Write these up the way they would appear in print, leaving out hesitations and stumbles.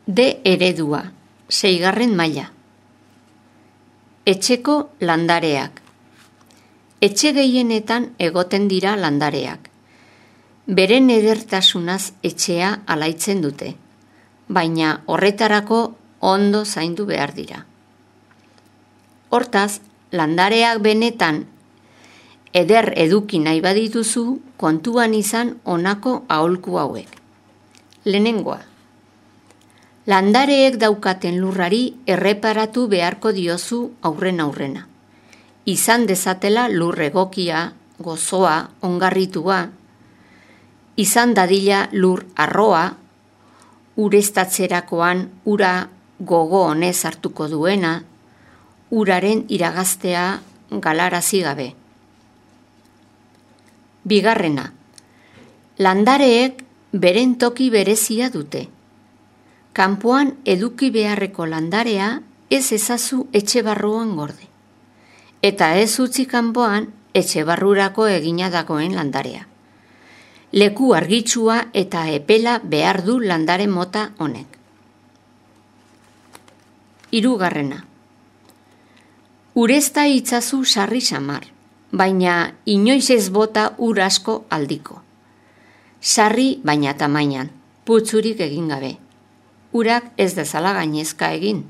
D eredua, 6. maila. Etxeko landareak. Etxe gehienetan egoten dira landareak. Beren edertasunaz etxea alaitzen dute, baina horretarako ondo zaindu behar dira. Hortaz, landareak benetan eder eduki nahi badituzu, kontuan izan honako aholku hauek. Lehenengoa. Landareek daukaten lurrari erreparatu beharko diozu aurrena. Izan dezatela lur egokia, gozoa, ongarritua, izan dadila lur arroa, ureztatzerakoan ura gogo honez hartuko duena, uraren iragaztea galarazi gabe. 2. Landareek beren toki berezia dute. Kanpoan eduki beharreko landarea ez ezazu etxe barruan gorde. Eta ez utzi kanpoan etxe barrurako egina dagoen landarea. Leku argitsua eta epela behar du landare mota honek. 3. Urezta itzazu sarri samar, baina inoiz ez bota ur asko aldiko. Sarri baina tamainan, putzurik egin gabe. Urak ez dezala gainezka egin.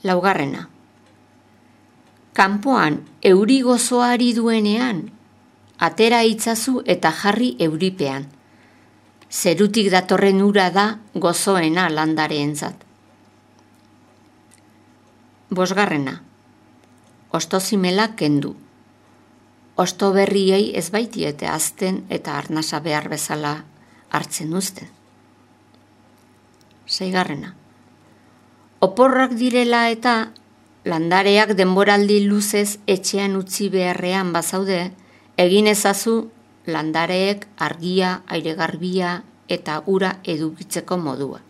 4. Kanpoan euri gozoari duenean, atera itzazu eta jarri euripean. Zerutik datorren ura da gozoena landareentzat. 5. Ostozimela kendu. Osto berriei ez baitiete azten eta arnasa behar bezala hartzen uzten. 6. Oporrak direla eta landareak denboraldi luzez etxean utzi beharrean bazaude, egin ezazu landareek argia, airegarbia eta ura edukitzeko modua.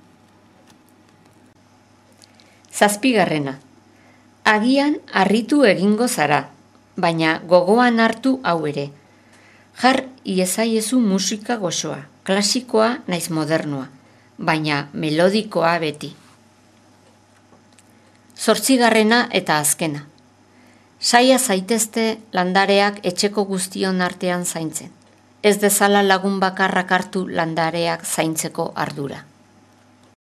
7. Agian harritu egingo zara, baina gogoan hartu hau ere. Jar iezaiezu musika goxoa, klasikoa naiz modernua, baina melodikoa beti. 8. eta azkena. Saia zaitezte landareak etxeko guztion artean zaintzen. Ez dezala lagun bakarrak hartu landareak zaintzeko ardura.